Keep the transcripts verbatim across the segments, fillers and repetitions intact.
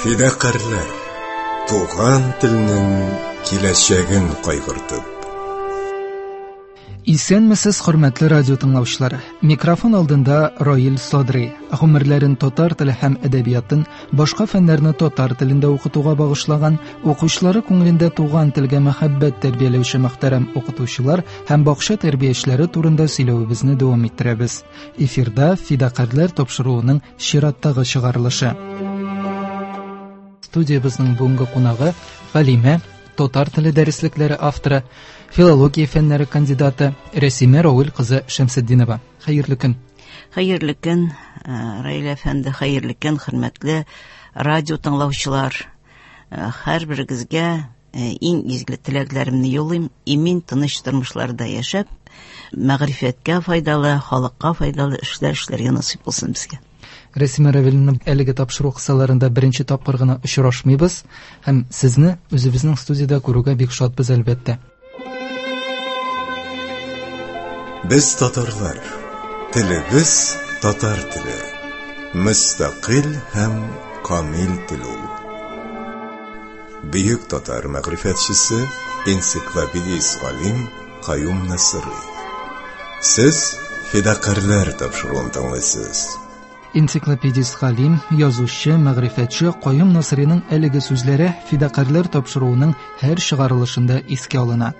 Фидакарьләр, туган телнең киләчәген кайгыртып. Исәнмесез, хөрмәтле радио тыңлаучылар. Микрофон алдында Раил Садри. Гомерләрен татар теле һәм әдәбиятын, башка фәннәрне татар телендә укытуга багышлаган, укучылары күңелендә туган телгә мәхәббәт тәрбияләүче мөхтәрәм укытучылар һәм бакча тәрбиячеләре турында сөйләвебезне дәвам иттерәбез. Эфирда Фидакарьләр тапшыруының чираттагы чыгарылышы. Студиябезнең бүгенге кунагы галимә, татар теле дәреслекләре авторы, филология фәннәре кандидаты Рәсимә Равил кызы Шәмсетдинова. Хәерле көн. Хәерле көн, Раил әфәнде, хәерле көн, хөрмәтле радио тыңлаучылар. Һәрберегезгә иң изге теләкләремне юллыйм. Имин, тыныч тормышларда яшәп, мәгърифәткә файдалы, халыкка файдалы эшләр эшләргә насыйп булсын безгә. Рәсимә Равиловна, әлеге тапшыру кысаларында беренче тапкыр гына очрашмыйбыз һәм сезне үзебезнең студиядә күрүгә бик шатбыз, әлбәттә. Без татарлар, телебез татар теле, мөстәкыйль һәм камил тел ул. Бөек татар мәгърифәтчесе, энциклопедист галим Каюм Насыйри. Сез Фидакарьләр тапшыруын тыңлыйсыз. Энциклопедист галим, язучы, мәгърифәтче Каюм Насыйриның әлеге сүзләре Фидакарьләр тапшыруының һәр чыгарылышында искә алына.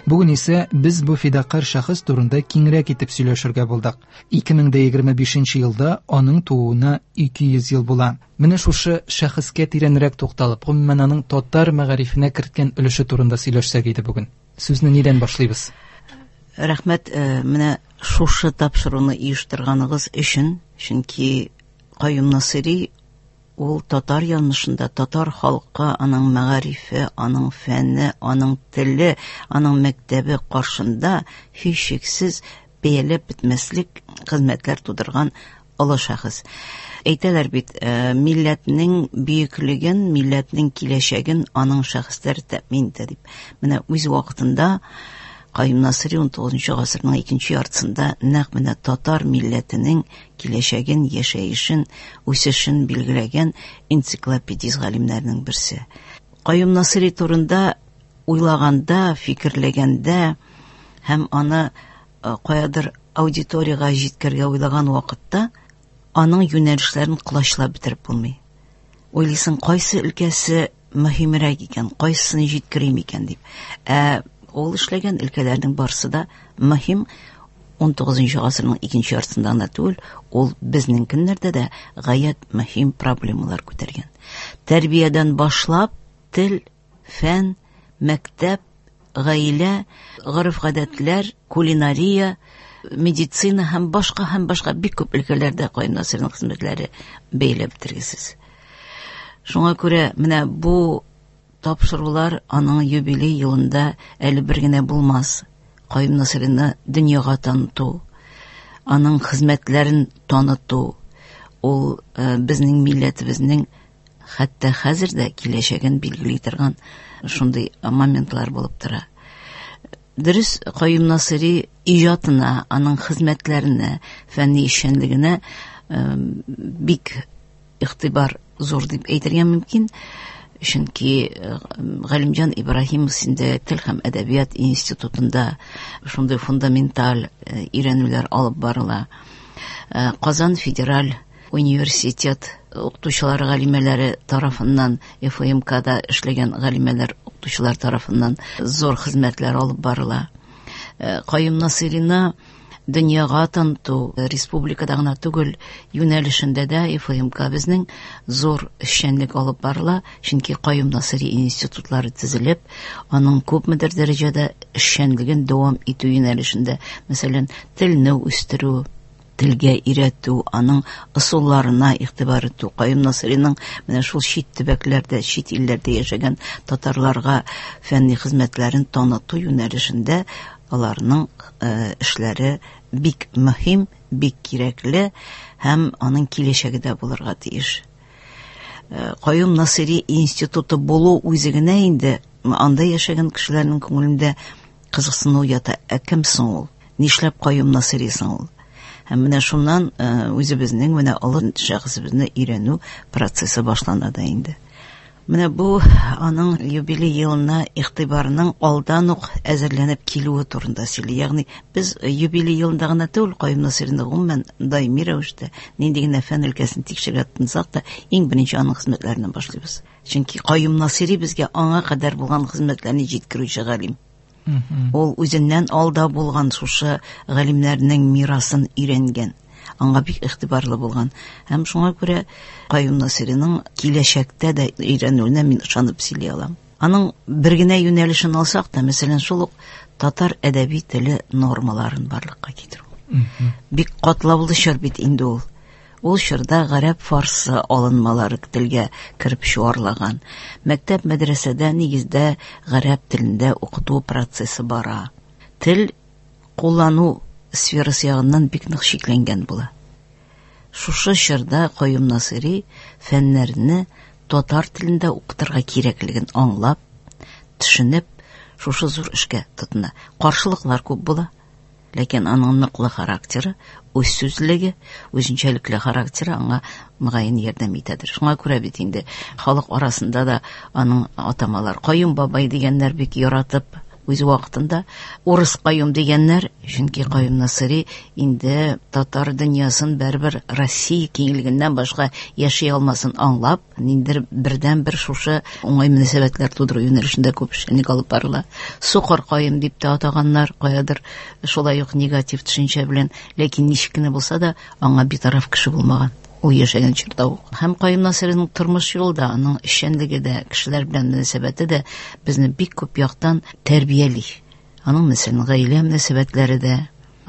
Бүген исә без бу фидакарь шәхес турында киңрәк итеп сөйләшергә булдык. ике мең дә егерме бишенче елда аның тууына ике йөз ел була. Менә шушы шәхескә тирәнрәк тукталып, гомумән аның татар мәгарифенә керткән өлеше турында сөйләшсәк иде бүген. Сүзне нидән башлыйбыз? Рәхмәт, менә шушы тапшыруны оештырганыгыз өчен, чөнки Каюм Насыйри ул татар язмышында, татар халкы, аның мәгарифе, аның фәне, аның теле, аның мәктәбе каршында һичшиксез бәяләп бетмәслек хезмәтләр тудырган олы шәхес. Әйтәләр бит, милләтнең бөеклеген, милләтнең киләчәген аның шәхесләре тәэмин итә дип. Менә үз вакытында Каюм Насыйри ун тугызынчы гасырның икенче яртысында нәкъ менә татар милләтенең киләчәген, яшәешен, үсешен билгеләгән энциклопедист галимнәрнең берсе. Каюм Насыйри турында уйлаганда, фикерләгәндә һәм аны каядыр аудиторияга җиткергә уйлаган вакытта аның юнәлешләрен колачлап бетереп булмый. Уйлыйсың, кайсы өлкәсе мөһимрәк икән, кайсысын җиткерим икән дип. Ә ул эшләгән өлкәләрнең барысы да мөһим. Ун тугызынчы гасырның икенче яртысында гына түгел, ул безнең көннәрдә дә гаять мөһим проблемалар күтәргән. Тәрбиядән башлап, тел, фән, мәктәп, гаилә, гореф-гадәтләр, кулинария, медицина һәм башка һәм башка бик күп өлкәләрдә Каюм Насыйриның хезмәтләре бәйләп бетергесез. Шуңа күрә менә бу тапшырулар аның юбилей елында әле бер генә булмас. Каюм Насыйрины дөньяга таныту, аның хезмәтләрен таныту, ул, э, безнең милләтебезнең хәтта хәзер дә киләчәген билгели торган шундый моментлар булып тора. Дөрес, Каюм Насыйри иҗатына, аның хезмәтләренә, фәнни эшчәнлегенә, э, бик игътибар зур дип әйтергә мөмкин. Чөнки, э, Галимҗан Ибраһимов синдә тел һәм әдәбият институтында шундый фундаменталь, э, өйрәнүләр алып барыла. Э, Казан федераль университет укытучылары галимәләре тарафыннан, Эф Эм Кда эшләгән галимәләр укытучылар тарафыннан зур хезмәтләр алып барыла. Э, Каюм Насыйрины дөньяга таныту республикада гына түгел, юнәлешендә дә Эф Эм К безнең зур эшчәнлек алып барыла, чөнки Каюм Насыйри институтлары төзелеп, аның күпмедер дәрәҗәдә эшчәнлеген дәвам итү юнәлешендә, мәсәлән, телне үстерү, телгә өйрәтү, аның ысулларына игътибар итү, Каюм Насыйриның менә шул чит төбәкләрдә, чит илләрдә яшәгән татарларга фәнни хезмәтләрен таныту юнәлешендә аларның, э, эшләре бик мөһим, бик кирәкле һәм аның киләчәге дә булырга тиеш. Э, Каюм Насыйри институты булу үзе генә инде анда яшәгән кешеләрнең күңелендә кызыксыну ята. Ә кем соң ул? Нишләп Каюм Насыйри соң ул? Һәм менә шуннан, э, үзебезнең менә олы шәхесебезне өйрәнү процессы башлана да инде. Менә бу аның юбилей елына игътибарының алдан ук әзерләнеп килүе турында сөйли. Ягъни без юбилей елында гына түгел, Каюм Насыйрины гомумән даими рәвештә нинди генә фән өлкәсен тикшерергә тотынсак та, иң беренче аның хезмәтләреннән башлыйбыз. Чөнки Каюм Насыйри безгә аңа кадәр булган хезмәтләрне җиткерүче галим. Ул үзеннән алда булган шушы галимнәрнең мирасын өйрәнгән, аңа бик игътибарлы булган. Һәм шуңа күрә Каюм Насыйриның киләчәктә дә өйрәнүенә мин ышанып сөйли алам. Аның бер генә юнәлешен алсак та, мәсәлән, шул ук татар әдәби теле нормаларын барлыкка китерү. Бик катлаулы чор бит инде ул. Ул чорда гарәп фарсы алынмалары телгә кереп чуарлаган. Мәктәп, мәдрәсәдә нигездә гарәп телендә укыту процессы бара. Тел куллану сферасы ягыннан бик нык чикләнгән була. Шушы чорда Каюм Насыйри фәннәрне татар телендә укытырга кирәклеген аңлап, төшенеп, шушы зур эшкә тотына. Каршылыклар күп була. Ләкин аның ныклы характеры, үз сүзлеге, үзенчәлекле характеры аңа мөгаен ярдәм итәдер. Шуңа күрә бит инде халык арасында да аның атамалар Каюм бабай дигәннәр бик яратып үз вакытында, урыс Каюм дигәннәр, чөнки Каюм Насыйри инде татар дөньясын бәрбер Россия киңлегеннән башка яши алмасын аңлап, ниндидер бердән-бер шушы уңай мөнәсәбәтләр тудыру юнәлешендә күп эшчәнлек алып барыла. Сукыр Каюм дип тә атаганнар, каядыр шулай ук негатив төшенчә белән, ләкин ничек кенә булса да аңа битараф кеше булмаган. Ул яшәгән чорда ук. Һәм Каюм Насыйриның тормыш юлы да, аның эшчәнлеге дә, кешеләр белән мөнәсәбәте дә безне бик күп яктан тәрбияли. Аның, мәсәлән, гаилә мөнәсәбәтләре дә,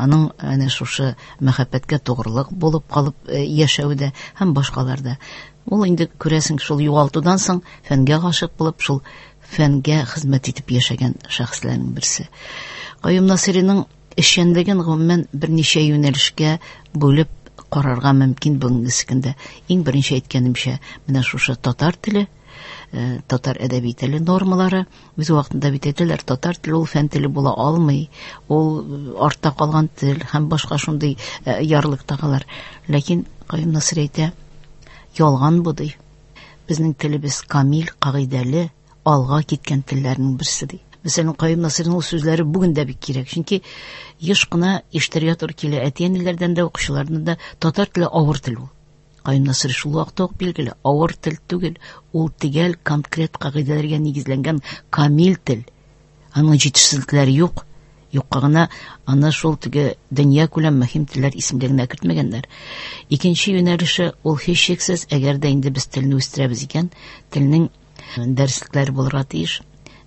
аның әнә шушы мәхәббәткә тугрылык булып калып яшәве дә һәм башкалар да. Ул инде күрәсең, шул югалтудан соң фәнгә гашык булып, шул фәнгә хезмәт итеп яшәгән шәхесләрнең берсе. Каюм Насыйриның эшчәнлеген гомумән берничә юнәлешкә бүлеп карарга мөмкин бүгенге көндә. Иң беренче әйткәнемчә, менә шушы татар теле, татар әдәби теле нормалары. Үз вакытында бит әйтәләр, татар теле ул фән теле була алмый, ул артта калган тел һәм башка шундый ярлык тагалар. Ләкин Каюм Насыйри әйтә, ялган бу ди. Безнең телебез камил, кагыйдәле, алга киткән телләрнең берсе ди. Мәсәлән, Каюм Насыйриның ул сүзләре бүген дә бик кирәк, чөнки еш кына ишетергә туры килә әти-әниләрдән дә, укучылардан да, татар теле авыр тел ул. Каюм Насыйри шул вакытта ук билгеле, авыр тел түгел, ул төгәл конкрет кагыйдәләргә нигезләнгән камил тел. Аның җитешсезлекләре юк. Юкка гына аны шул теге дөнья күләм мөһим телләр исемлегенә кертмәгәннәр. Икенче юнәлеше ул һичшиксез, әгәр дә инде без телне үстерәбез икән, телнең дәреслекләре булырга тиеш,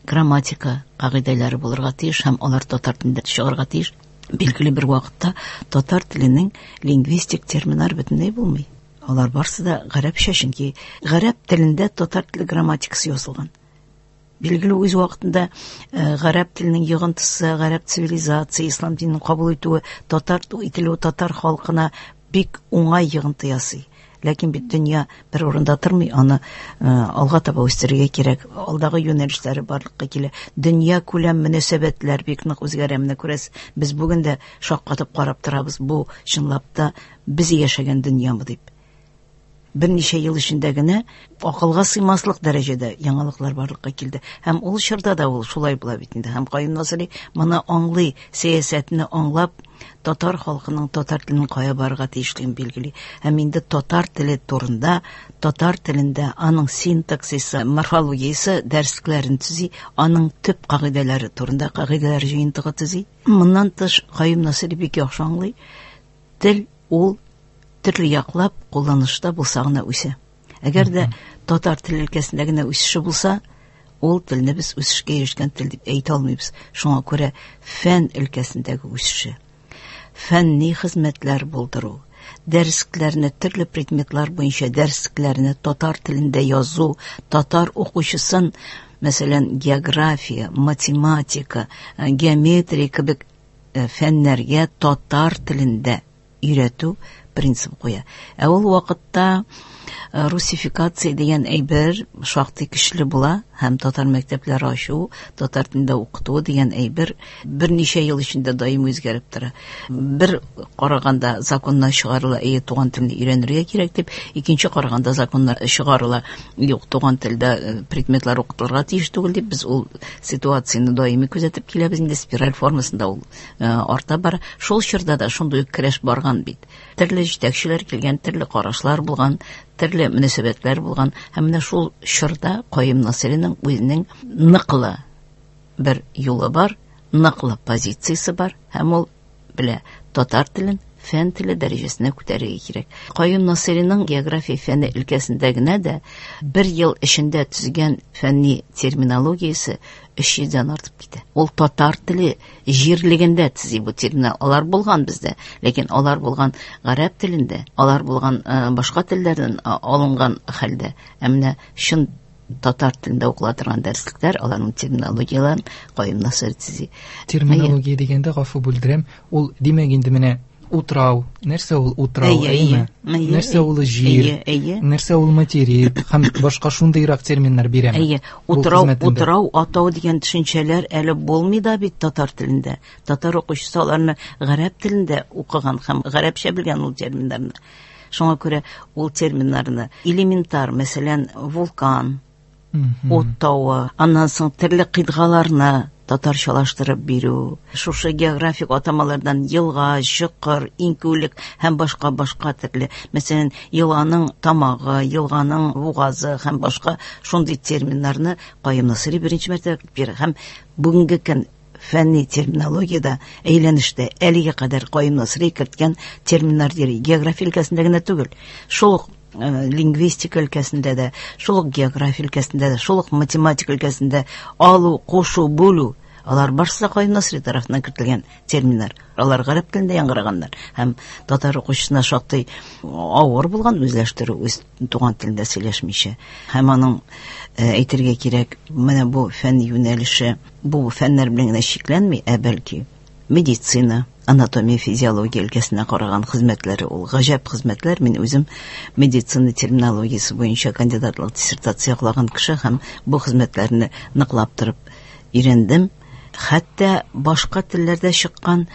грамматика кагыйдәләре булырга тиеш һәм алар татар телендә чыгарга тиеш. Билгеле бер вакытта татар теленең лингвистик терминнар бөтенләй булмый. Алар барсы да гарәпчә, чөнки гарәп телендә татар теле грамматикасы язылган. Билгеле үз вакытында гарәп теленең йогынтысы, гарәп цивилизация, ислам динен кабул итүе, татар ителүе татар халкына бик уңай йогынты ясый. Ләкин бит дөнья бер урында тормый, аны алга таба үстерергә кирәк. Алдагы юнәлешләре барлыкка килә. Дөнья күләм мөнәсәбәтләр бик нык үзгәрә. Менә күрәсез, без бүген дә шаккатып карап торабыз, бу чынлап та без яшәгән дөньямы дип. Берничә ел эчендә генә акылга сыймаслык дәрәҗәдә яңалыклар барлыкка килде. Һәм ул чорда да ул шулай була бит инде. Һәм Каюм Насыйри моны аңлый, сәясәтне аңлап, татар халкының татар теленең кая барырга тиешлеген билгели. Һәм инде татар теле турында, татар телендә аның синтаксисы, морфологиясе дәреслекләрен төзи, аның төп кагыйдәләре турында кагыйдәләр җыентыгы төзи. Моннан тыш Каюм Насыйри бик яхшы аңлый, тел ул төрле яклап кулланышта булса гына үсә. Әгәр дә татар теле өлкәсендә генә үсеше булса, ул телне без үсешкә ирешкән тел дип әйтә алмыйбыз. Шуңа күрә фән өлкәсендәге үсеше, фәнни хезмәтләр булдыру, дәреслекләрне төрле предметлар буенча дәреслекләрне татар телендә язу, татар укучысын, мәсәлән, география, математика, геометрия кебек фәннәргә татар телендә өйрәтү принцип куя. Ә ул вакытта русификация дигән әйбер шактый көчле була һәм татар мәктәпләре ачу, татар телендә укыту дигән әйбер берничә ел эчендә даими үзгәреп тора. Бер караганда законнар чыгарыла, әйе, туган телне өйрәнергә кирәк дип, икенче караганда законнар чыгарыла, юк, туган телдә предметлар укытылырга тиеш түгел дип, без ул ситуацияне даими күзәтеп киләбез, инде спираль формасында ул арта бара. Шул чорда да шундый ук көрәш барган бит. Төрле җитәкчеләр килгән, төрле карашлар булган, төрле мөнәсәбәтләр булган. Һәм менә шул чорда Каюм Насыйриның үзенең ныклы бер юлы бар, ныклы позициясе бар, һәм ул белә татар телен фән теле дәрәҗәсенә күтәрергә кирәк. Каюм Насыйриның география фәне өлкәсендә генә дә бер ел эчендә төзегән фәнни терминологиясе өч йөздән артып китә. Ул татар теле җирлегендә төзи бу терминнар. Алар булган бездә, ләкин алар булган гарәп телендә, алар булган башка телләрдән алынган хәлдә. Ә менә чын татар телендә укыла торган дәреслекләр, аларның терминологияләрен Каюм Насыйри төзи. Терминология дигәндә, гафу бүлдерәм, ул димәк инде менә утрау, нәрсә ул утрау, әйеме? Нәрсә ул җир, нәрсә ул материк һәм башка шундыйрак терминнар бирәме? Әйе, утрау, утрау, атау дигән төшенчәләр әле булмый да бит татар телендә. Татар укучысы аларны гарәп телендә укыган һәм гарәпчә белгән ул терминнарны. Шуңа күрә ул терминнарны элементар, мәсәлән, вулкан, ут тавы, аннан соң төрле кыйтгаларны татарчалаштырып бирү, шушы географик атамалардан елга, чокыр, иңкүлек һәм башка башка төрле, мәсәлән, елганың тамагы, елганың бугазы һәм башка шундый терминнарны Каюм Насыйри беренче мәртәбә бирә. Һәм бүгенге көн фәнни терминологиядә әйләнештә әлегә кадәр Каюм Насыйри керткән терминнар йөри. География өлкәсендә генә түгел, шул ук лингвистика өлкәсендә дә, шул ук география өлкәсендә дә, шул ук математика өлкәсендә алу, кушу, бүлү, алар барысы да Каюм Насыйри тарафыннан кертелгән терминнар. Алар гарәп телендә яңгыраганнар. Һәм татар укучысына шактый авыр булган үзләштерү, үз туган телендә сөйләшмичә. Һәм аның әйтергә кирәк, менә бу фән юнәлеше, бу фәннәр белән генә чикләнми, ә бәлки медицина, анатомия, физиология өлкәсенә караган хезмәтләре ул гаҗәп хезмәтләр. Мин үзем медицина терминологиясе буенча кандидатлык диссертация яклаган кеше һәм бу хезмәтләрне ныклап торып өйрәндем. Хәтта башка телләрдә чыккан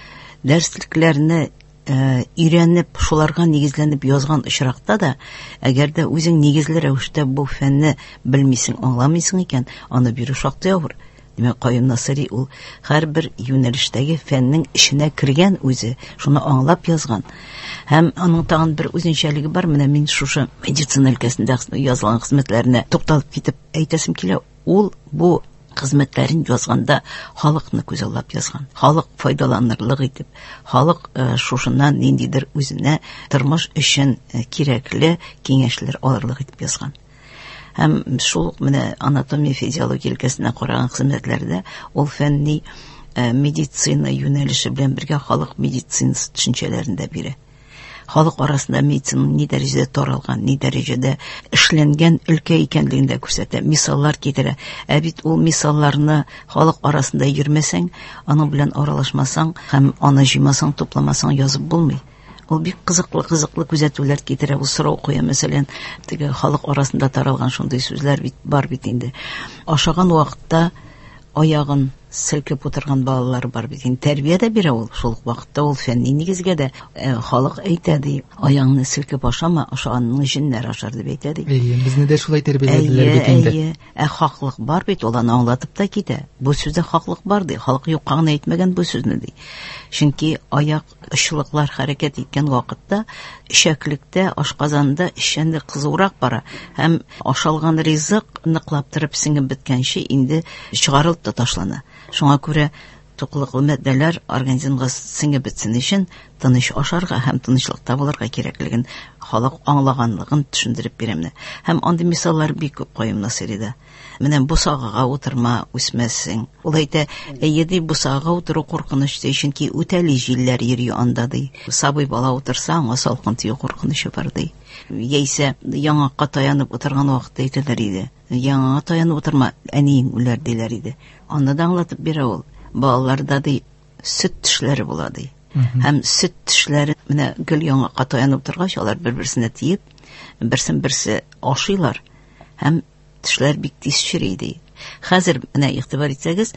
дәреслекләрне өйрәнеп, шуларга нигезләнеп язган очракта да, әгәр дә үзең нигезле рәвештә бу фәнне белмисең, аңламыйсың икән, аны бирү шактый авыр. Димәк, Каюм Насыйри ул һәрбер юнәлештәге фәннең эченә кергән үзе, шуны аңлап язган. Һәм аның тагын бер үзенчәлеге бар. Менә мин шушы медицина өлкәсендә язылган хезмәтләренә тукталып китеп әйтәсем килә. Ул бу хезмәтләрен язганда халыкны күзаллап язган. Халык файдаланырлык итеп, халык шушыннан ниндидер үзенә тормыш өчен кирәкле киңәшләр алырлык итеп язган. Һәм шул ук менә анатомия, физиология өлкәсенә караган хезмәтләрдә ул фәнни медицина юнәлеше белән бергә халык медицинасы төшенчәләрен дә бирә. Халык арасында медицинаның ни дәрәҗәдә таралган, ни дәрәҗәдә эшләнгән өлкә икәнлеген дә күрсәтә, мисаллар китерә. Ә бит ул мисалларны халык арасында йөрмәсәң, аның белән аралашмасаң һәм аны җыймасаң, тупламасаң язып булмый. Ул бик кызыклы, кызыклы күзәтүләр китерә, ул сорау куя, мәсәлән, теге халык арасында таралган шундый сүзләр бит бар бит инде. Ашаган вакытта аягын селкеп утырган балалар бар бит инде. Тәрбия дә бирә ул, шул ук вакытта ул фәнни нигезгә дә, халык әйтә ди, аягыңны селкеп ашама, ашаганның җеннәр ашар дип әйтә ди. Әйе, безне дә шулай тәрбияләделәр бит инде. Әйе, ә хаклык бар бит, ул аны аңлатып та китә. Бу сүздә хаклык бар ди, халык юкка гына әйтмәгән бу сүзне ди. Чөнки аяк очлыклар хәрәкәт иткән вакытта эчәклектә, ашказанда эчәнлек кызурак бара һәм ашалган ризык ныклап торып сеңеп беткәнче инде чыгарылып та ташлана. Шуңа күрә туклыклы матдәләр организмга сеңеп бетсен өчен тыныч ашарга һәм тынычлыкта булырга кирәклеген халык аңлаганлыгын төшендереп бирәм. Һәм андый мисаллар бик күп Каюм Насыйрида. Менә бусагага утырма, үсмәссең. Ул әйтә, әйе ди, бусагага утыру куркыныч ди, чөнки үтәли җилләр йөри анда ди. Сабый бала утырса, аңа салкын тию куркынычы бар ди. Яисә яңакка таянып утырган вакытта әйтәләр иде. Яңага таянып утырма, әниең үләр диләр иде. Аны да аңлатып бирә ул. Балаларда ди сөт тешләре була ди. Һәм сөт тешләре менә гел яңакка таянып торгач, алар бер-берсенә тиеп, Берсен берсе ашыйлар һәм тешләр бик тиз чери ди. Хәзер менә игътибар итсәгез,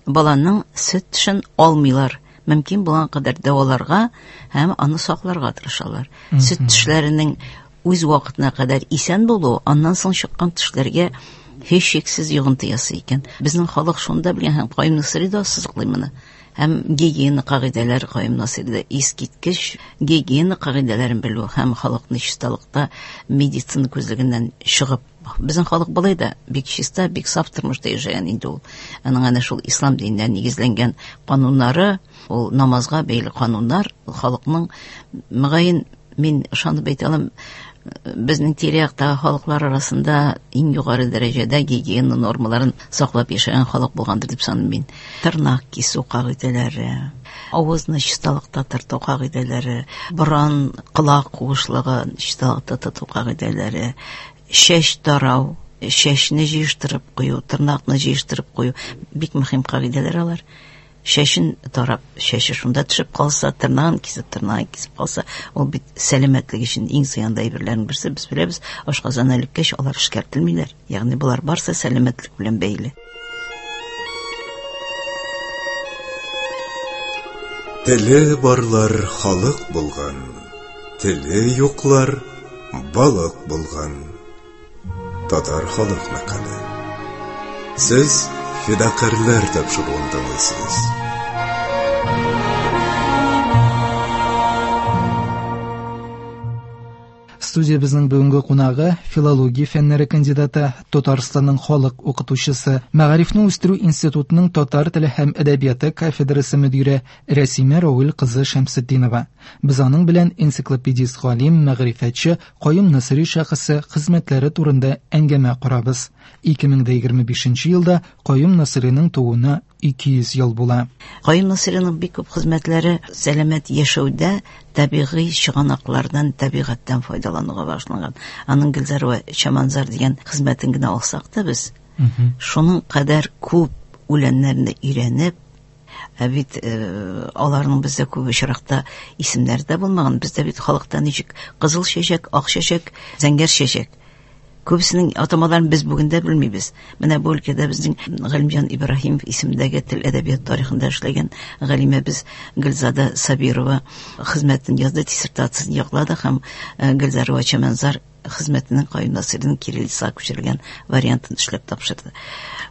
баланың сөт тешен алмыйлар. Мөмкин булган кадәр дәваларга һәм аны сакларга тырышалар. Сөт тешләренең үз вакытына кадәр исән булуы аннан соң чыккан тешләргә һичшиксез йогынты ясый икән. Безнең халык шунда белгән һәм Каюм Насыйри да ассызыклый моны. Һәм гигиена кагыйдәләре Каюм Насыйрида искиткеч гигиена кагыйдәләрен белү һәм халыкны чисталыкта медицина күзлегеннән чыгып, безнең халык болай да бик чиста, бик саф тормышта яшәгән инде ул. Аның әнә шул ислам диненә нигезләнгән кануннары, ул намазга бәйле кануннар, халыкның, мөгаен, мин ышанып әйтә алам, безнең тирә-яктагы халыклар арасында иң югары дәрәҗәдә гигиена нормаларын саклап яшәгән халык булгандыр дип саныйм мин. Тырнак кисү кагыйдәләре, авызны чисталыкта тоту кагыйдәләре, борын, колак куышлыгы чисталыкта тоту кагыйдәләре, чәч тарау, чәчне җыештырып кую, тырнакны җыештырып кую бик мөһим кагыйдәләр алар. Чәчен тарап, чәче шунда төшеп калса, тырнагын кисеп, тырнагын кисеп калса, ул бит сәламәтлек өчен иң зыянлы әйберләрнең берсе. Без беләбез, ашказаны элеккәч алар эшкәртелмиләр. Ягъни болар барсы сәламәтлек белән бәйле. Теле барлар халык булган, теле юклар балык булган. Татар халык мәкале. Сез Фидакарьләр тапшыруын тыңлыйсыз. Студиябезнең бүгенге кунагы филология фәннәре кандидаты, Татарстанның халык укытучысы, Мәгарифне үстерү институтының татар теле һәм әдәбияты кафедрасы мөдире Рәсимә Равил кызы Шәмсетдинова. Без аның белән энциклопедист галим, мәгърифәтче Каюм Насыйри шәхесе хезмәтләре турында әңгәмә корабыз. ике мең дә егерме бишенче елда Каюм Насыйриның тууына ике йөз ел була. Каюм Насыйриның бик күп хезмәтләре сәламәт яшәүдә табигый чыганаклардан, табигатьтән файдалануга багышланган. Аның Гөлзар вә Чаманзар дигән хезмәтен генә алсак та без, шуның кадәр күп үләннәрне өйрәнеп, ә бит, э, аларның бездә күп очракта исемнәре дә булмаган. Бездә бит халыкта ничек кызыл чәчәк, ак чәчәк, зәңгәр чәчәк. Күбесенең атамаларын без бүген дә белмибез. Менә бу өлкәдә безнең Галимҗан Ибраһимов исемендәге тел әдәбият тарихында эшләгән галимәбез Гөлзада Сабирова хезмәтен язды, диссертациясен яклады һәм, э, Гөлзар вә Чаманзар хезмәтенең Каюм Насыйриның кириллицага күчерелгән вариантын эшләп тапшырды.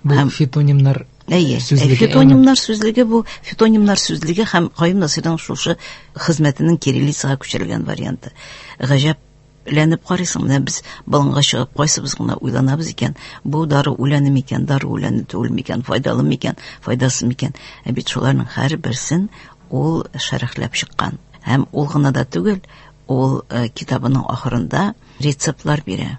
Бу Һәм фитонимнар Әйе, сүзлеге, фитонимнар сүзлеге бу, фитонимнар сүзлеге һәм Каюм Насыйриның шушы хезмәтенең кириллицага күчерелгән варианты. Гаҗәп ләнеп карыйсың, менә без болынга чыгып кайсыбыз гына уйланабыз икән, бу дару үләне микән, дару үләне түгел микән, файдалы микән, файдасыз микән? Ә бит шуларның һәрберсен ул шәрехләп чыккан. Һәм ул гына да түгел, ул, э, китабының ахырында рецептлар бирә.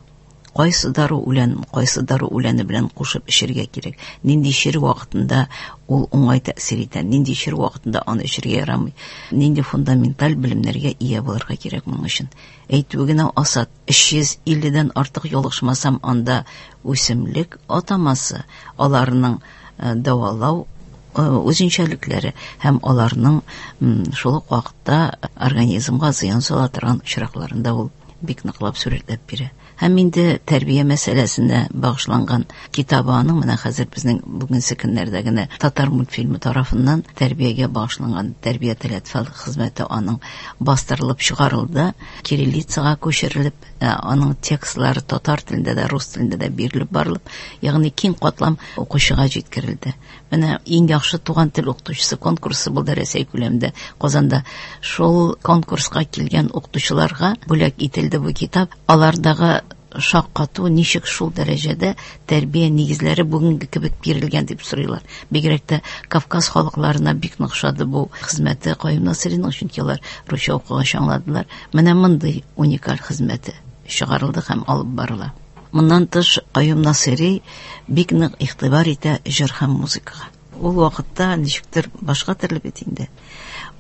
Кайсы дару үлән, кайсы дару үләне белән кушып эчәргә кирәк, нинди чир вакытында ул уңай тәэсир итә, нинди чир вакытында аны эчәргә ярамый, нинди фундаменталь белемнәргә ия булырга кирәк моның өчен. Әйтүе генә асат, өч йөз илледән артык ялгышмасам, анда үсемлек атамасы, аларның, э, дәвалау, э, үзенчәлекләре һәм аларның, м, шул ук вакытта организмга зыян сала торган очракларында ул бик ныклап сурәтләп бирә. Һәм инде тәрбия мәсьәләсенә багышланган китабы аның менә хәзер безнең бүгенге көннәрдә генә татар мультфильмы тарафыннан тәрбиягә багышланган тәрбия теләтфал хезмәте аның бастырылып чыгарылды, кириллицага күчерелеп, э, аның текстлары татар телендә дә, рус телендә дә бирелеп барылып, ягъни киң катлам укучыга җиткерелде. Менә иң яхшы туган тел укытучысы конкурсы булды Рәсәй күләмендә Казанда. Шул конкурска килгән укытучыларга бүләк ителде бу китап. Алардагы шаккату, ничек шул дәрәҗәдә тәрбия нигезләре бүгенге кебек бирелгән дип сорыйлар. Бигрәк тә Кавказ халыкларына бик нык ошады бу хезмәте Каюм Насыйриның, чөнки алар русча укыгач аңладылар. Менә мондый уникаль хезмәте чыгарылды һәм алып барыла. Моннан тыш Каюм Насыйри бик нык игътибар итә җыр һәм музыкага. Ул вакытта ничектер башка төрле бит инде.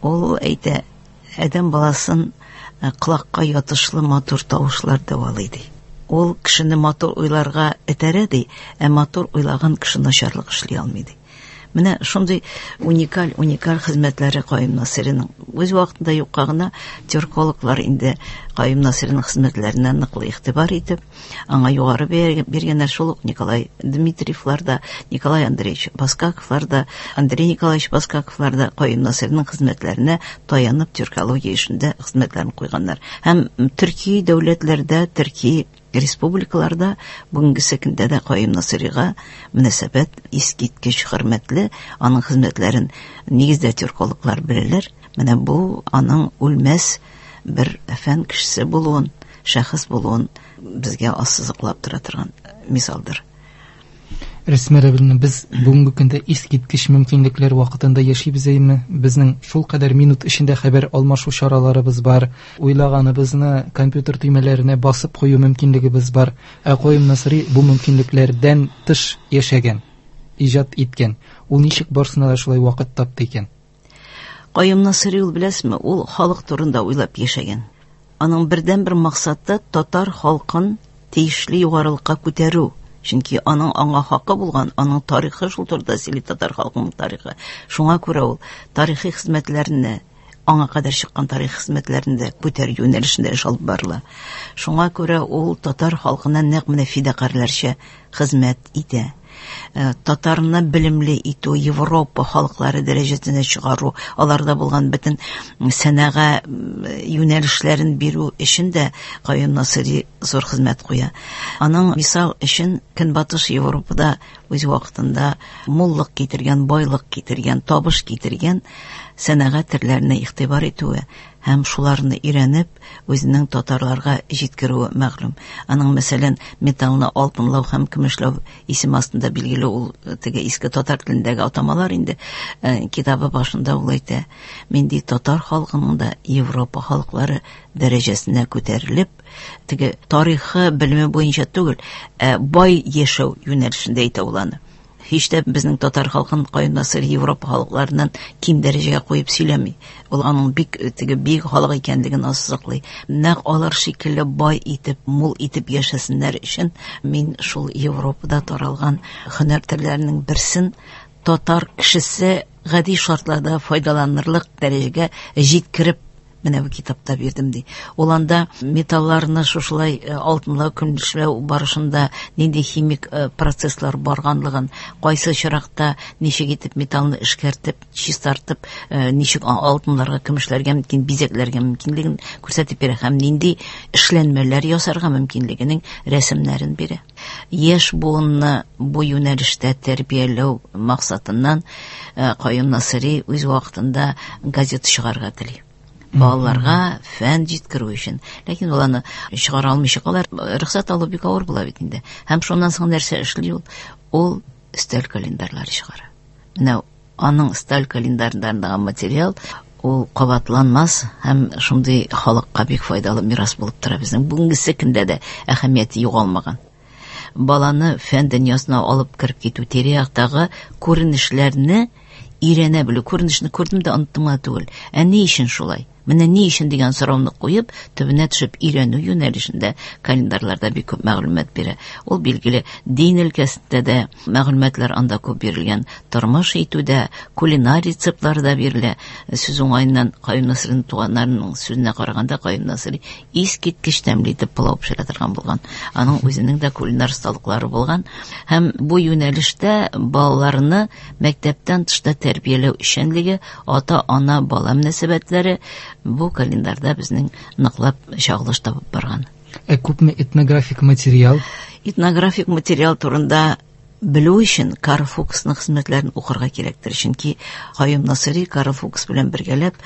Ул әйтә, адәм баласын, э, колакка ятышлы матур тавышлар дәвалый ди. Ул кешене матур уйларга этәрә ди, ә матур уйлаган кеше начарлык эшли алмый ди. Менә шундый уникаль, уникаль хезмәтләре Каюм Насыйриның. Үз вакытында юкка гына тюркологлар инде Каюм Насыйриның хезмәтләренә ныклы игътибар итеп, аңа югары бәя биргәннәр. Шул ук Николай Дмитриевлар да, Николай Андреевич Баскаковлар да, Андрей Николаевич Баскаковлар да Каюм Насыйриның хезмәтләренә таянып тюркология эшендә хезмәтләрен куйганнар. Һәм төрки дәүләтләрдә, төрки республикаларда бүгенгесе көндә дә Каюм Насыйрига мөнәсәбәт искиткеч хөрмәтле, аның хезмәтләрен нигездә тюркологлар беләләр. Менә бу аның үлмәс бер фән кешесе булуын, шәхес булуын безгә ассызыклап тора торган мисалдыр. Рәсмә Рәбиловна, без бүгенге көндә искиткеч мөмкинлекләр вакытында яшибез әйме? Безнең шул кадәр минут эчендә хәбәр алмашу чараларыбыз бар, уйлаганыбызны компьютер төймәләренә басып кую мөмкинлегебез бар. Ә Каюм Насыйри бу мөмкинлекләрдән тыш яшәгән, иҗат иткән. Ул ничек барсына да шулай вакыт тапты икән? Каюм Насыйри ул, беләсезме, ул халык турында уйлап яшәгән. Аның бердәнбер максаты татар халкын тиешле югарылыкка күтәрү. Чөнки аның аңа хакы булган, аның тарихы шул турыда сөйли, татар халкының тарихы. Шуңа күрә ул тарихи хезмәтләрне, аңа кадәр чыккан тарихи хезмәтләрне дә күтәрү юнәлешендә эш алып барыла. Шуңа күрә ул татар халкына нәкъ менә фидакарьләрчә хезмәт итә. Э, татарны белемле итү, Европа халыклары дәрәҗәсенә чыгару, аларда булган бөтен сәнәга юнәлешләрен бирү өчен дә Каюм Насыйри зур хезмәт куя. Аның мисал өчен Көнбатыш Европада үз вакытында муллык китергән, байлык китергән, табыш китергән сәнәгать төрләренә игътибар итүе һәм шуларны өйрәнеп, үзенең татарларга җиткерүе мәгълүм. Аның, мәсәлән, металлны алтынлау һәм көмешләү исем астында билгеле ул теге иске татар телендәге атамалар инде, э, китабы башында ул әйтә: мин ди татар халкының да Европа халыклары дәрәҗәсенә күтәрелеп, теге тарихы белеме буенча түгел, ә бай яшәү юнәлешендә әйтә ул аны. Һич тә безнең татар халкын Каюм Насыйри Европа халыкларыннан ким дәрәҗәгә куеп сөйләми. Ул аның бик теге бик халык икәнлеген ассызыклый. Нәкъ алар шикелле бай итеп, мул итеп яшәсеннәр өчен мин шул Европада таралган һөнәр төрләренең берсен татар кешесе гади шартларда файдаланырлык дәрәҗәгә җиткереп менә бу китапта бирдем ди. Ул анда металларны шушылай алтынлау, көмешләү барышында нинди химик процесслар барганлыгын, кайсы очракта ничек итеп металлны эшкәртеп, чистартып, ничек алтынларга, көмешләргә мөмкин, бизәкләргә мөмкинлеген күрсәтеп бирә һәм нинди эшләнмәләр ясарга мөмкинлегенең рәсемнәрен бирә. Яшь буынны бу юнәлештә тәрбияләү максатыннан Каюм Насыйри үз вакытында газета чыгарырга тели. Балаларга фән җиткерү өчен. Ләкин ул аны чыгара алмыйча калар. Рөхсәт алу бик авыр була бит инде. Һәм шуннан соң нәрсә эшли ул? Ул өстәл календарьлары чыгара. Менә аның өстәл календарьларындагы материал ул кабатланмас һәм шундый халыкка бик файдалы мирас булып тора безнең. Бүгенгесе көндә дә әһәмияте югалмаган. Баланы фән дөньясына алып кереп китү, тирә-яктагы күренешләрне өйрәнә белү. Күренешне күрдем дә оныттым гына түгел. Ә ни өчен шулай? Менә ни өчен дигән сорауны куеп, төбенә төшеп өйрәнү юнәлешендә календарьларда бик күп мәгълүмат бирә. Ул билгеле дин өлкәсендә дә мәгълүматлар анда күп бирелгән. Тормыш итүдә, кулинар рецептлар да бирелә. Сүз уңаеннан Каюм Насыйриның туганнарының сүзенә караганда Каюм Насыйри искиткеч тәмле итеп пылау пешерә торган булган. Аның үзенең дә кулинар осталыклары булган. Һәм бу юнәлештә балаларны мәктәптән тышта тәрбияләү эшчәнлеге, ата-ана бала мөнәсәбәтләре бу календарьда безнең ныклап чагылыш табып барган. Ә күпме этнографик материал? Этнографик материал турында белү өчен Карл Фуксның хезмәтләрен укырга кирәктер. Чөнки Каюм Насыйри Карл Фукс белән бергәләп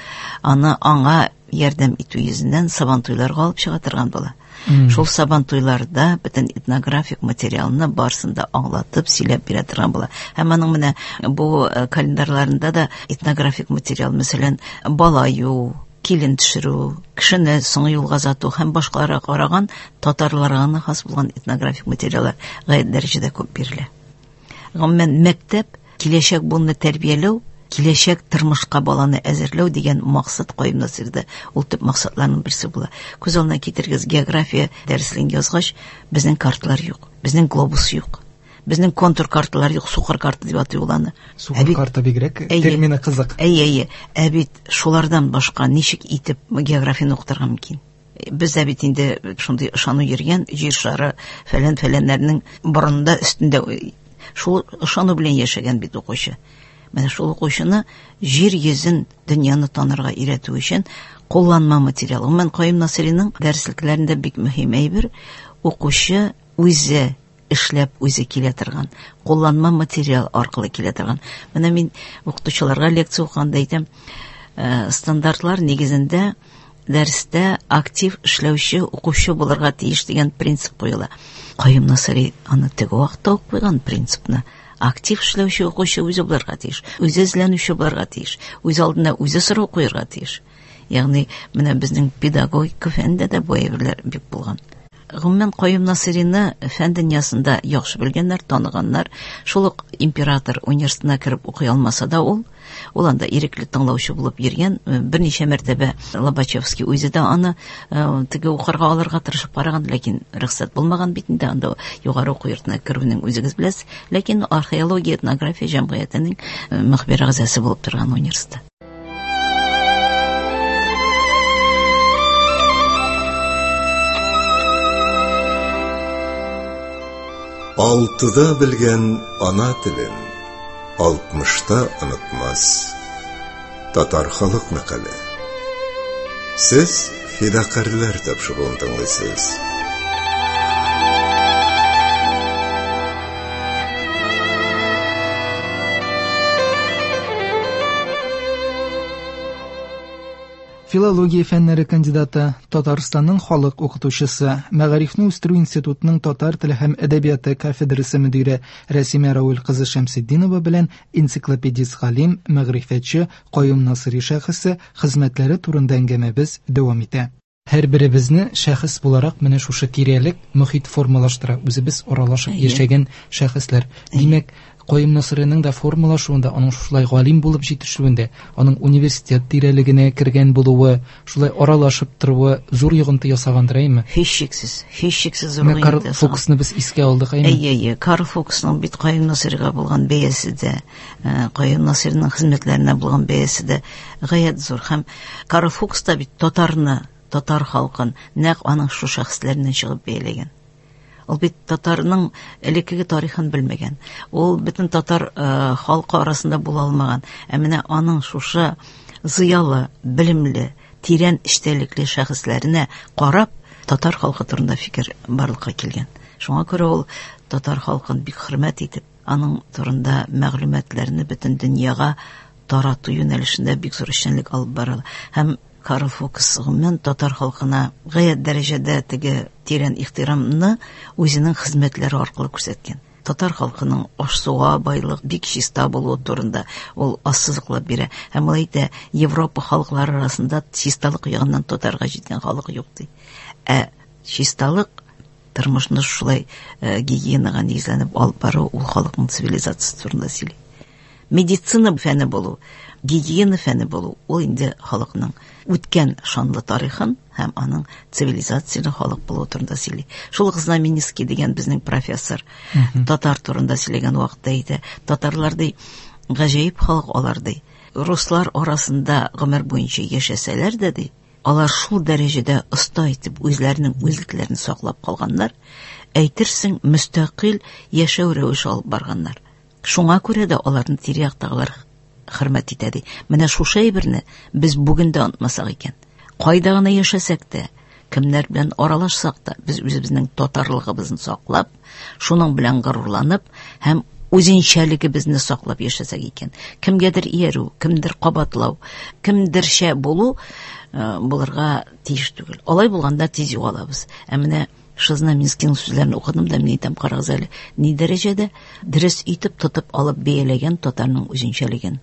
аны аңа ярдәм итү йөзеннән Сабантуйларга алып чыга торган була. Mm. Шул Сабантуйларда бөтен этнографик материалны барысын да аңлатып, сөйләп бирә торган була. Һәм аның менә бу календарьларында да этнографик материал, мәсәлән, бала юу, килен төшерү, кешене соңгы юлга озату һәм башкаларга караган татарларга гына хас булган этнографик материаллар гаять дәрәҗәдә күп бирелә. Гомумән, мәктәп киләчәк буынны тәрбияләү, киләчәк тормышка баланы әзерләү дигән максат Каюм Насыйрида ул төп максатларның берсе була. Күз алдына китерегез, география дәреслеген язгач, безнең карталар юк, безнең глобус юк. Безнең контур карталар юк, сукыр карта дип атый ул аны. Сукыр карта бигрәк термины кызык. Әйе, әйе. Ә бит шулардан башка ничек итеп географияне укытырга мөмкин? Бездә бит инде шундый ышану йөргән, җир шары фәлән-фәләннәрнең борынында, өстендә шул ышану белән яшәгән бит укучы. Менә шул укучыны җир йөзен, дөньяны танырга өйрәтү өчен кулланма материал. Гомумән, Каюм Насыйриның дәреслекләрендә бик мөһим әйбер укучы үзе эшләп үзе килә торган, кулланма материал аркылы килә торган. Менә мин укытучыларга лекция укыганда әйтәм, стандартлар нигезендә дәрестә актив эшләүче укучы булырга тиеш дигән принцип куела. Каюм Насыйри аны теге вакытта ук куйган принципны. Актив эшләүче укучы үзе булырга тиеш, үзе эзләнүче булырга тиеш, үз алдына үзе сорау куярга тиеш. Ягъни менә безнең педагогика фәнендә дә бу әйберләр бик булган. Гомумән, Каюм Насыйрины фән дөньясында яхшы белгәннәр, таныганнар. Шул ук император университетына кереп укый алмаса да ул, ул анда ирекле тыңлаучы булып йөргән. Берничә мәртәбә Лобачевский үзе дә аны теге укырга алырга тырышып караган, ләкин рөхсәт булмаган бит инде анда югары уку йортына керүнең, үзегез беләсез. Ләкин археология, этнография җәмгыятенең мөхбир әгъзасы булып торган университет. Алтыда белгән ана телен алтмышта онытмас. Татар халык мәкале. Сез фидакарьләр тапшыруын тыңлыйсыз. Филология фәннәре кандидаты, Татарстанның халык укытучысы, Мәгарифне үстерү институтының татар теле һәм әдәбияты кафедрасы мөдире Рәсимә Равил кызы Шәмсетдинова белән энциклопедист галим, мәгърифәтче Каюм Насыйри шәхесе хезмәтләре турында әңгәмәбез дәвам итә. Һәр беребезне шәхес буларак менә шушы тирәлек мөхит формалаштыра, үзебез аралашып яшәгән шәхесләр. Димәк, Каюм Насыйриның да формалашуында, аның шулай галим булып җитешүендә, аның университет тирәлегенә кергән булуы, шулай аралашып торуы зур йогынты ясагандыр, әйме? Һичшиксез, һичшиксез зур йогынты ясаган. Карл Фуксны без искә алдык, әйме? Әйе, әйе. Карл Фуксның бит Каюм Насыйрига булган бәясе дә, Каюм Насыйриның хезмәтләренә булган бәясе дә гаять зур. Һәм Карл Фукс та бит татарны, татар халкын нәкъ аның шу шәхесләреннән чыгып бәяләгән. Ул бит татарның элеккеге тарихын белмәгән. Ул бөтен татар э, халкы арасында була алмаган. Ә менә аның шушы зыялы, белемле, тирән эчтәлекле шәхесләренә карап, татар халкы турында фикер барлыкка килгән. Шуңа күрә ул татар халкын бик хөрмәт итеп, аның турында мәгълүматларны бөтен дөньяга тарату юнәлешендә бик зур эшчәнлек алып бара. Һәм Карл Фукс гомумән татар халкына гаять дәрәҗәдә теге тирән ихтирамны үзенең хезмәтләре аркылы күрсәткән. Татар халкының аш-суга байлык, бик чиста булуы турында ул ассызыклап бирә. Һәм ул әйтә, Европа халыклары арасында чисталык ягыннан татарга җиткән халык юк ди. Ә чисталык тормышны шулай гигиенага нигезләнеп алып бару ул халыкның цивилизациясе турында сөйли. Медицина фәне булу, гигиена фәне булу ул инде халыкның үткән шанлы тарихын һәм аның цивилизацияле халык булуы турында сөйли. Шул ук Знаменский дигән безнең профессор татар турында сөйләгән вакытта әйтә, татарлар ди, гаҗәеп халык алар ди. Руслар арасында гомер буенча яшәсәләр дә ди, алар шул дәрәҗәдә оста итеп үзләренең үзлекләрен саклап калганнар, әйтерсең мөстәкыйль яшәү рәвеше алып барганнар. Шуңа күрә дә аларны тирә-яктагылар хөрмәт итә ди. Менә шушы әйберне без бүген дә онытмасак икән. Кайда гына яшәсәк тә, кемнәр белән аралашсак та, без үзебезнең татарлыгыбызны саклап, шуның белән горурланып һәм үзенчәлегебезне саклап яшәсәк икән. Кемгәдер иярү, кемдер кабатлау, кемдерчә булу булырга тиеш түгел. Алай булганда тиз югалабыз. Ә менә Знаменскийның сүзләрен укыдым да, мин әйтәм, карагыз әле, ни дәрәҗәдә дөрес итеп тотып алып бәяләгән татарның үзенчәлеген.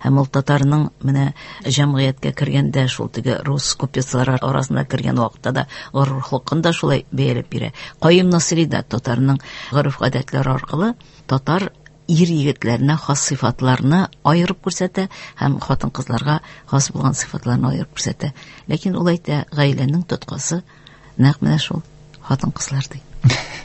Һәм ул татарның менә җәмгыятькә кергәндә, шул теге рус купецлар арасына кергән вакытта да горурлыгын да шулай бәяләп бирә. Каюм Насыйри да татарның гореф-гадәтләре аркылы татар ир егетләренә хас сыйфатларны аерып күрсәтә һәм хатын-кызларга хас булган сыйфатларны аерып күрсәтә. Ләкин ул әйтә, гаиләнең тоткасы нәкъ менә шул хатын-кызлар ди.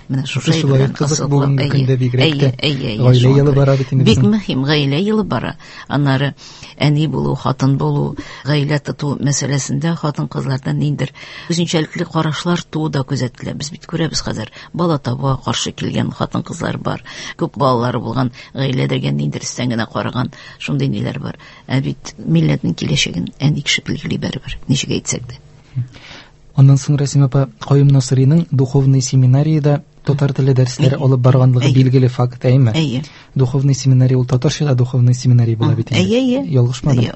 Менә шушы шулай кызык бүгенге көндә бигрәк тә. Гаилә елы бара бит инде. Бик мөһим гаилә елы бара. Аннары әни булу, хатын булу, гаилә тоту мәсьәләсендә хатын-кызлардан ниндидер үзенчәлекле карашлар туу да күзәтелә. Без бит күрәбез хәзер бала табуга каршы килгән хатын-кызлар бар. Күп балалары булган гаиләләргә ниндидер өстән генә караган шундый ниләр бар. Ә бит милләтнең киләчәген әни кеше билгели барыбер, ничек әйтсәк дә. Аннан соң Рәсимә апа, Каюм Насыйриның духовный семинариядә татар теле дәресләре алып барганлыгы билгеле факт, әйеме? Әйе. Духовный семинария ул татарча да духовный семинария була бит инде. Әйе, әйе. Ялгышмадым.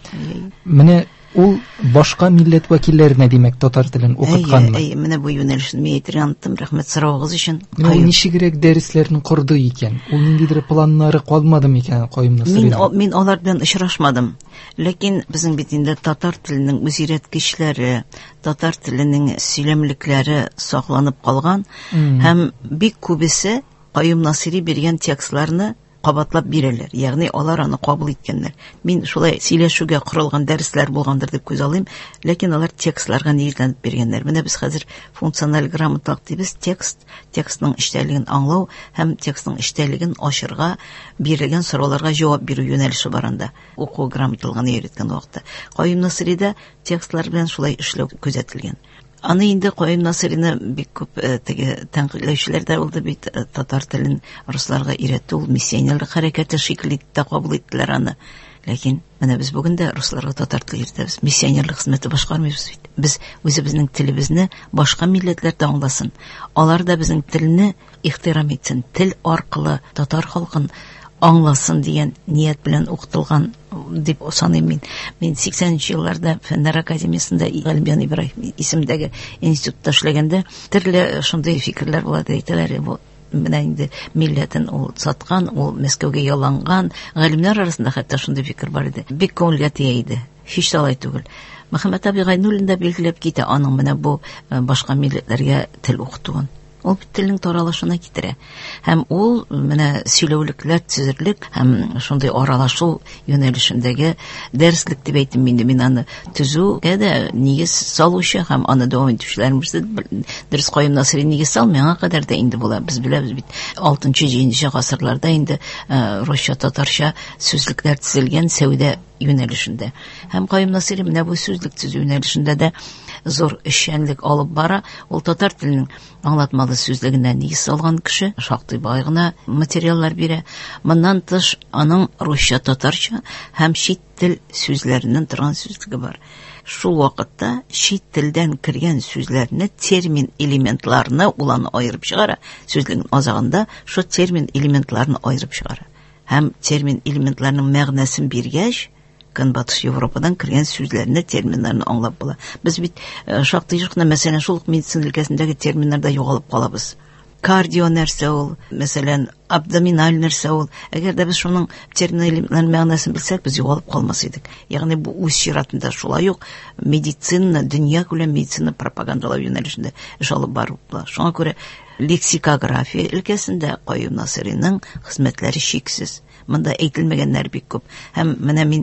Менә ул башка милләт вәкилләренә, димәк, татар телен укытканмы? Әйе, әйе, менә бу юнәлешне мин әйтергә оныттым, рәхмәт соравыгыз өчен. Менә ул ничегрәк дәресләрне корды икән? Ул ниндидер планнары калмады микән Каюм Насыйриның? Мин мин алар белән очрашмадым. Ләкин безнең бит инде татар теленең үзөйрәткечләре, татар теленең сөйләмлекләре сакланып калган һәм бик күбесе Каюм Насыйри биргән текстларны кабатлап бирәләр. Ягъни алар аны кабул иткәннәр. Мин шулай сөйләшүгә корылган дәресләр булгандыр дип күз алыйм, ләкин алар текстларга нигезләнеп биргәннәр. Менә без хәзер функциональ грамоталык дибез, текст, текстның эчтәлеген аңлау һәм текстның эчтәлеген ачырга бирелгән сорауларга җавап бирү юнәлеше бар анда. Уку грамоталыгын өйрәткән вакытта Каюм Насыйрида текстлар белән шулай эшләү күзәтелгән. Аны инде Каюм Насыйрины бик күп теге тәнкыйтьләүчеләр дә булды бит, татар телен русларга өйрәтү ул миссионерлык хәрәкәте шикелле дә кабул иттеләр аны. Ләкин менә без бүген дә русларга татар теле өйрәтәбез. Миссионерлык хезмәте башкармыйбыз бит. Без үзебезнең телебезне башка милләтләр дә аңласын. Алар да безнең телне ихтирам итсен, тел аркылы татар халкын аңласын дигән ният белән укытылган дип саныйм мин. Мин сиксәненче елларда Фәннәр академиясендә Галимҗан Ибраһим исемендәге институтта эшләгәндә төрле шундый фикерләр була, әйтәләр, бу менә инде милләтен ул саткан, ул Мәскәүгә яланган. Галимнәр арасында хәтта шундый фикер бар иде. Бик күңелгә тия иде. Һич тә алай түгел. Мөхәммәт абый Гайнуллин да билгеләп китә аның менә бу башка милләтләргә тел укытуын. Ул бит телнең таралышына китерә. Һәм ул менә сөйләүлекләр төзерлек һәм шундый аралашу юнәлешендәге дәреслек дип әйтим инде. Мин аны төзүгә дә нигез салучы һәм аны дәвам итүчеләрнең берсе. Дөрес, Каюм Насыйри нигез салмый, аңа кадәр дә инде була. Без беләбез бит, алтынчы, җиденче гасырларда инде русча, татарча сүзлекләр төзелгән сәүдә юнәлешендә. Һәм Каюм Насыйри менә бу сүзлек төзү юнәлешендә дә зур эшчәнлек алып бара. Ул татар теленең аңлатмалы сүзлегенә нигез салган кеше, шактый бай гына материаллар бирә. Моннан тыш аның русча, татарча һәм чит тел сүзләреннән торган сүзлеге бар. Шул вакытта чит телдән кергән сүзләрне, термин элементларны ул аны аерып чыгара. Сүзлегнең азагында шул термин элементларны аерып чыгара. Һәм термин элементларының мәгънәсен биргәч, Көнбатыш Европадан кергән сүзләрне, терминнарны аңлап була. Без бит шактый еш кына, мәсәлән, шул ук медицина өлкәсендәге терминнарда югалып калабыз. Кардио нәрсә ул, мәсәлән, абдоминаль нәрсә ул. Әгәр дә без шуның термин элементларының мәгънәсен белсәк, без югалып калмас идек. Ягъни бу үз чиратында шулай ук медицина, дөнья күләм медицина пропагандалау юнәлешендә эш алып бару була. Шуңа күрә лексикография өлкәсендә Каюм Насыйриның хезмәтләре чиксез. Монда әйтелмәгәннәр бик күп. Һәм менә мин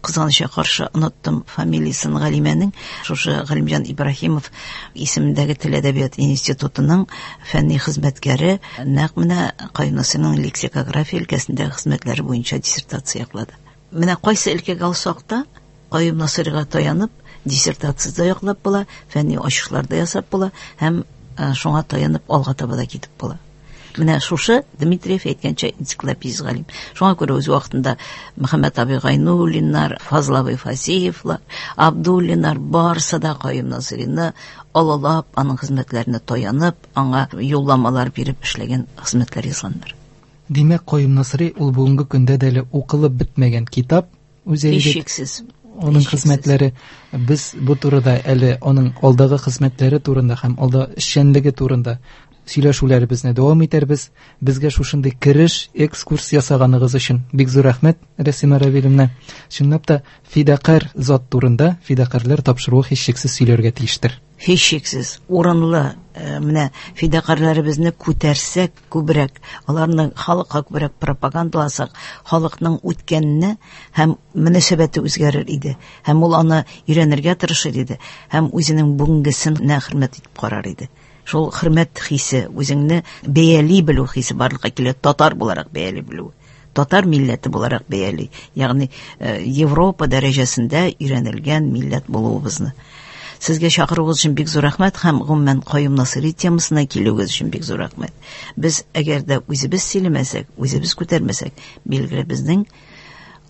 кызганычка каршы оныттым фамилиясын галимәнең. Шушы Галимҗан Ибраһимов исемендәге Тел әдәбият институтының фәнни хезмәткәре нәкъ менә Каюм Насыйриның лексикография өлкәсендәге хезмәтләре буенча диссертация яклады. Менә кайсы өлкәгә алсак та Каюм Насыйрига таянып диссертация да яклап була, фәнни ачышлар да ясап була һәм шуңа таянып алга таба да китеп була. Менә шушы Дмитриев әйткәнчә энциклопедист галим. Шуңа күрә үз вакытында Мөхәммәт абый Гайнуллиннар, Фазыл абый Фасиевлар, Абдуллиннар барысы да Каюм Насыйрины олылап, аның хезмәтләренә таянып, аңа юлламалар биреп эшләгән хезмәтләр язганнар. Димәк, Каюм Насыйри ул бүгенге көндә дә әле укылып бетмәгән китап, үзе әйбәт. Һичшиксез. Оның хезмәтләре, без бу турыда әле аның алдагы хезмәтләре турында һәм алда эшчәнлеге турында сөйләшүләребезне дәвам итәрбез. Безгә шушындый кереш, экскурс ясаганыгыз өчен бик зур рәхмәт, Рәсимә Равилевна. Чынлап та фидакарь зат турында фидакарьләр тапшыруы һичшиксез сөйләргә тиештер. Һичшиксез урынлы, менә фидакарьләребезне күтәрсәк күбрәк, аларны халыкка күбрәк пропагандаласак, халыкның үткәнне һәм мөнәсәбәте үзгәрер иде, һәм ул аны өйрәнергә тырышыр иде, һәм үзенең бүгенгесенә хөрмәт итеп карар иде. Шул хөрмәт хисе, үзеңне бәяли белү хисе барлыкка килә, татар буларак бәяли белү. Татар милләте буларак бәяли, ягъни Европа дәрәҗәсендә өйрәнелгән милләт булуыбызны. Сезгә чакыруыгыз өчен бик зур рәхмәт һәм гомумән Каюм Насыйри темасына килүегез өчен бик зур рәхмәт. Без әгәр дә үзебез сөйләмәсәк, үзебез күтәрмәсәк, билгеле безнең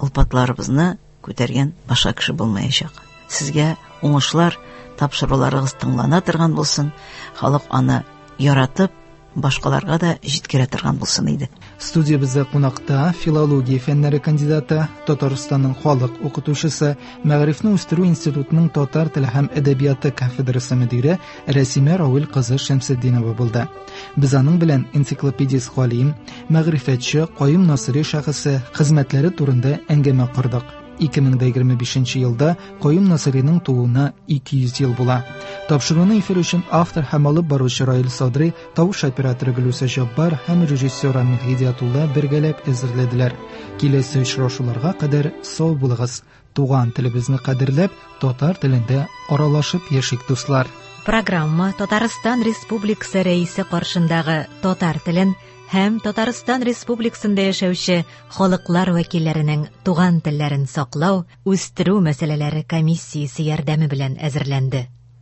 олпатларыбызны күтәргән башка кеше булмаячак. Сезгә уңышлар, тапшыруларыгыз тыңлана торган булсын, халык аны яратып, башкаларга да җиткерә торган булсын иде. Студиябездә кунакта филология фәннәре кандидаты, Татарстанның халык укытучысы, Мәгарифне үстерү институтының татар теле һәм әдәбияты кафедрасы мөдире Рәсимә Равил кызы Шәмсетдинова булды. Без аның белән энциклопедист галим, мәгърифәтче Каюм Насыйри шәхесе хезмәтләре турында әңгәмә кордык. ике мең егерме бишенче елда Каюм Насыйриның тууына ике йөз ел була. Тапшыруны эфир өчен автор һәм алып баручы Раил Садри, тавыш операторы Гөлүсә Җаббар һәм режиссер Рамил Һидиятулла бергәләп әзерләделәр. Киләсе очрашуларга кадәр сау булыгыз. Туган телебезне кадерләп, татар телендә аралашып яшик, дуслар. Программа Татарстан Республикасы Рәисе каршындагы татар телен һәм Татарстан Республикасында яшәүче халыклар вәкилләренең туган телләрен саклау, үстерү мәсьәләләре комиссиясе ярдәме белән әзерләнде.